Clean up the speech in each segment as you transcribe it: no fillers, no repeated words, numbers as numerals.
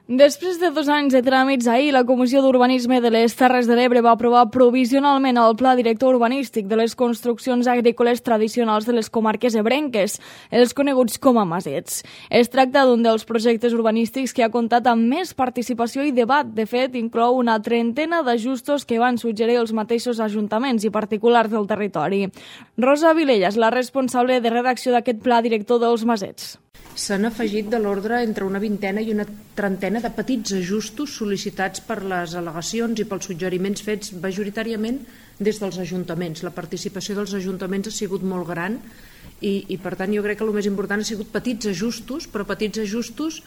Després de 2 anys de tràmits, ahir la Comissió d'Urbanisme de les Terres de l'Ebre va aprovar provisionalment el Pla Director Urbanístic de les construccions agrícoles tradicionals de les comarques ebrenques, els coneguts com a masets. Es tracta d'un dels projectes urbanístics que ha comptat amb més participació i debat. De fet, inclou una trentena d'ajustos que van suggerir els mateixos ajuntaments i particulars del territori. Rosa Vilella és la responsable de redacció d'aquest Pla Director dels masets. S'han afegit de l'ordre entre una vintena i una trentena de petits ajustos sol·licitats per les al·legacions i pels suggeriments fets majoritàriament des dels ajuntaments. La participació dels ajuntaments ha sigut molt gran i per tant jo crec que el més important ha sigut petits ajustos, però petits ajustos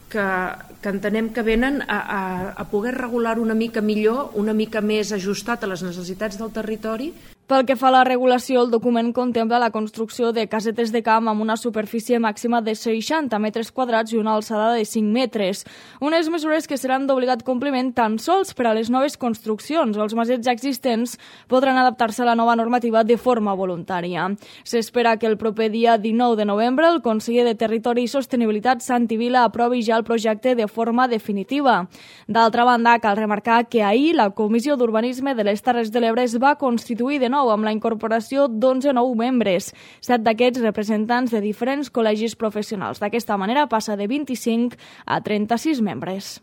que entenem que venen a poder regular una mica millor, una mica més ajustat a les necessitats del territori. Pel que fa a la regulació, el document contempla la construcció de casetes de camp amb una superfície màxima de 60 metres quadrats i una alçada de 5 metres. Unes mesures que seran d'obligat compliment tan sols per a les noves construccions. Els masets ja existents podran adaptar-se a la nova normativa de forma voluntària. S'espera que el proper dia 19 de novembre el conseller de Territori i Sostenibilitat, Santi Vila, aprovi ja el projecte de forma definitiva. D'altra banda, cal remarcar que ahir la Comissió d'Urbanisme de les Terres de l'Ebre es va constituir de nou amb la incorporació d'11 nous membres, 7 d'aquests representants de diferents col·legis professionals. D'aquesta manera passa de 25 a 36 membres.